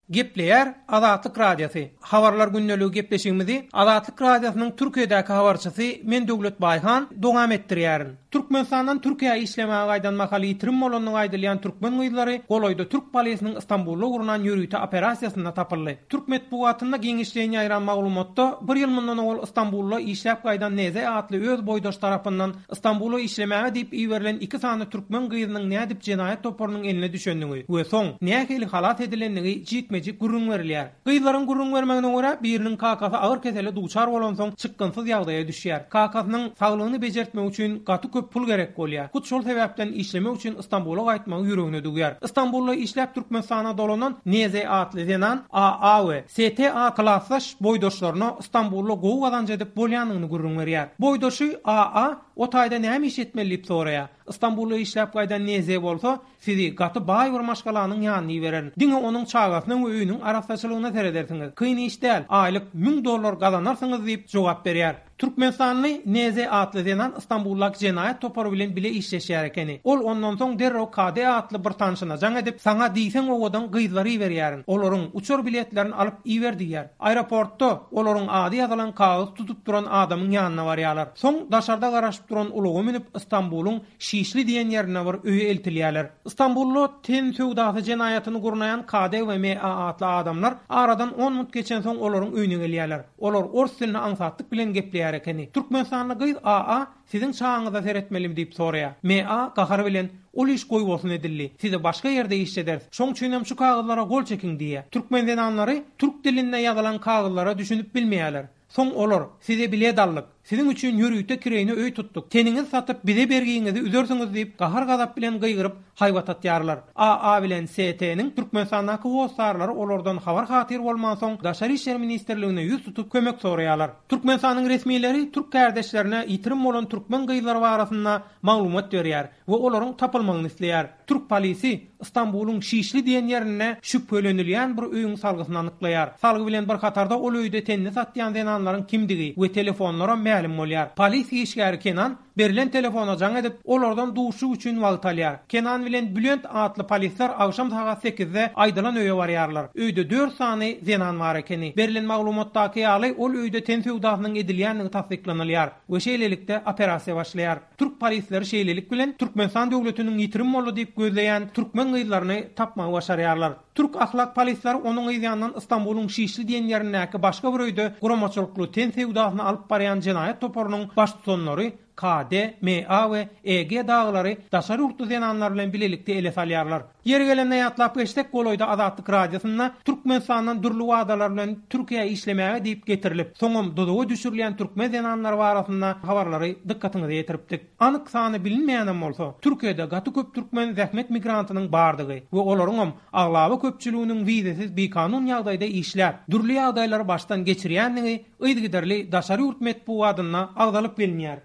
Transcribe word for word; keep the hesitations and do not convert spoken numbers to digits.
Gepleýär Azatlyk Radiosy. Habarlar gündeligi gepleşigimizi Azatlyk Radiosynyň Türkiýedäki habarçysy men Döwlet Baýhan dowam etdirýärin. Türkmenistandan Türkiýä işlemäge gaýdan mahaly ýitirim bolandygy aýdylýan türkmen gyzlary golaýda türk polisiniň Istanbulda gurnan ýörite operasiýasynda tapyldy. Türk metbugatynda giňişleýin ýaýran maglumatda bir ýyl mundan owal Istanbulda işläp gaýdan Neze atly öz boýdaş tarapyndan Istanbula işlemäge diýip iberilen iki sany türkmen gyzynyň nädip jenaýat toparynyň eline düşendigi we soň nähili halas edilendigi jikme-jik gürrüň berilýär. Gyzlaryň gürrüň bermegine görä biriniň kakasy agyr kesele duçar bolansoň çykgynsyz ýagdaýa düşýär. Kakasynyň saglygyny bejertmek üçin gaty köp pul gerek bolýar. Hut şol sebäpden işlemek üçin Istanbula gaýtmagy ýüregine düwýär. Istanbulda işläp Türkmenistana dolanan Neze atly zenan A A we S T A klasdaş boýdaşlaryna Istanbulda gowy gazanç edip bolýanyny gürrüň berýär. Boýdaşy A A o taýda näme iş etmeli diýip soraýar. Istanbulda işläp gaýdan Neze bolsa sizi gaty baý bir maşgalanyň ýanyna iberen. Diňe onuň çagasynyň we öýüniň arassaçylygyna seredersiňiz. Kyn iş däl, aýlyk müň dollar gazanarsyňyz diýip jogap berýär. Türkmenistanly Neze atly zenan Istanbuldaky jenaýat topary bilen bile işleşýär ekeni. Ol ondan soň derrew K D atly bir tanşyna jaň edip, saňa diýseň owadan gyzlary iberýärin. Olaryň uçar biletlerini alyp iber diýýär. Aeroportda olaryň ady ýazylan kagyz tutup duran adamyň ýanyna barýarlar. Soň daşarda garaşyp duran ulaga münüp Istanbulyň Şişli diýen ýerine bir öýe eltilýärler. Istanbulda ten söwdasy jenaýatyny gurnaýan K D we M A atly adamlar aradan on minut geçen soň olaryň öýüne gelýärler. Olar ors dilini aňsatlyk bilen gepleýär ekeni. Türkmenistanly gyz A A siziň çaňyza seretmelimi diýip soraýar. M A gahar bilen ol iş goýbolsun edildi. Sizi başga ýerde işlederis. Şoň üçinem şu kagyzlara gol çekiň diýýär. Türkmen zenanlary türk dilinde ýazylan kagyzlara düşünip bilmeýärler. Soň olar size bilet aldyk. Siziň üçin ýörite kireýine öý tutduk. Teniňizi satyp bize bergiňizi üzersiňiz diýip gahar gazap bilen gygyryp haýbat atýarlar. A A bilen S T-niň Türkmenistandaky hossarlary olardan habar hatyr bolman soň Daşary işler ministrligine ýüz tutup kömek soraýarlar. Türkmenistanyň resmileri türk kardeşlerine ýitirim bolan türkmen gyzlary barasynda maglumat berýär we olaryň tapylmagyny isleýär. Türk polisi Istanbulyň Şişli diýen ýerinde şübhelenilýän bir öýüň salgysyny anyklaýar. Salgy bilen bir hatarda ol öýde tenini satýan zenanlaryň kimdigi we telefonlara mälim bolýar. Polis işgäri Kenan berilen telefona jaň edip, olardan duşuk üçin wagt alýar. Kenan bilen Bülent atly polisler agşam sagat sekizde aýdylan öýe barýarlar. Öýde dört sany zenan bar ekeni. Berilen maglumatdaky ýaly ol öýde ten söwdasynyň edilýändigi tassyklanylýar we şeýlelikde operasiýa başlaýar. Türk polisleri şeýlelik bilen Türkmenistan döwletiniň ýitirim boldy diýip gözleýän türkmen gyzlaryny tapmagy başarýarlar. Türk ahlak polisleri onuň ýanyndan Istanbulyň Şişli diýen ýerindäki başga bir öýde guramaçylykly ten söwdasyny alyp barýan jenaýat toparynyň baştutanlary K D, M A we E G daglary daşary ýurtly zenanlar bilen bilelikde ele salýarlar. Ýeri gelende ýatlap geçsek, golaýda Azatlyk Radiosynda Türkmenistandan dürli wadalar bilen Türkiýä işlemäge diýip getirilip, soňam duzuga düşürilýän türkmen zenanlary barasynda habarlary dykgatyňyza ýetiripdik. Anyk sany bilinmeýänem bolsa, Türkiýede gaty köp türkmen zähmet migrantynyň bardygy we olaryňam aglaba köpçüliginiň wizesiz bikanun ýagdaýda işläp, dürli ýagdaýlary başdan geçirýändigi yzygiderli daşary ýurt metbugatynda agzalyp gelinýär.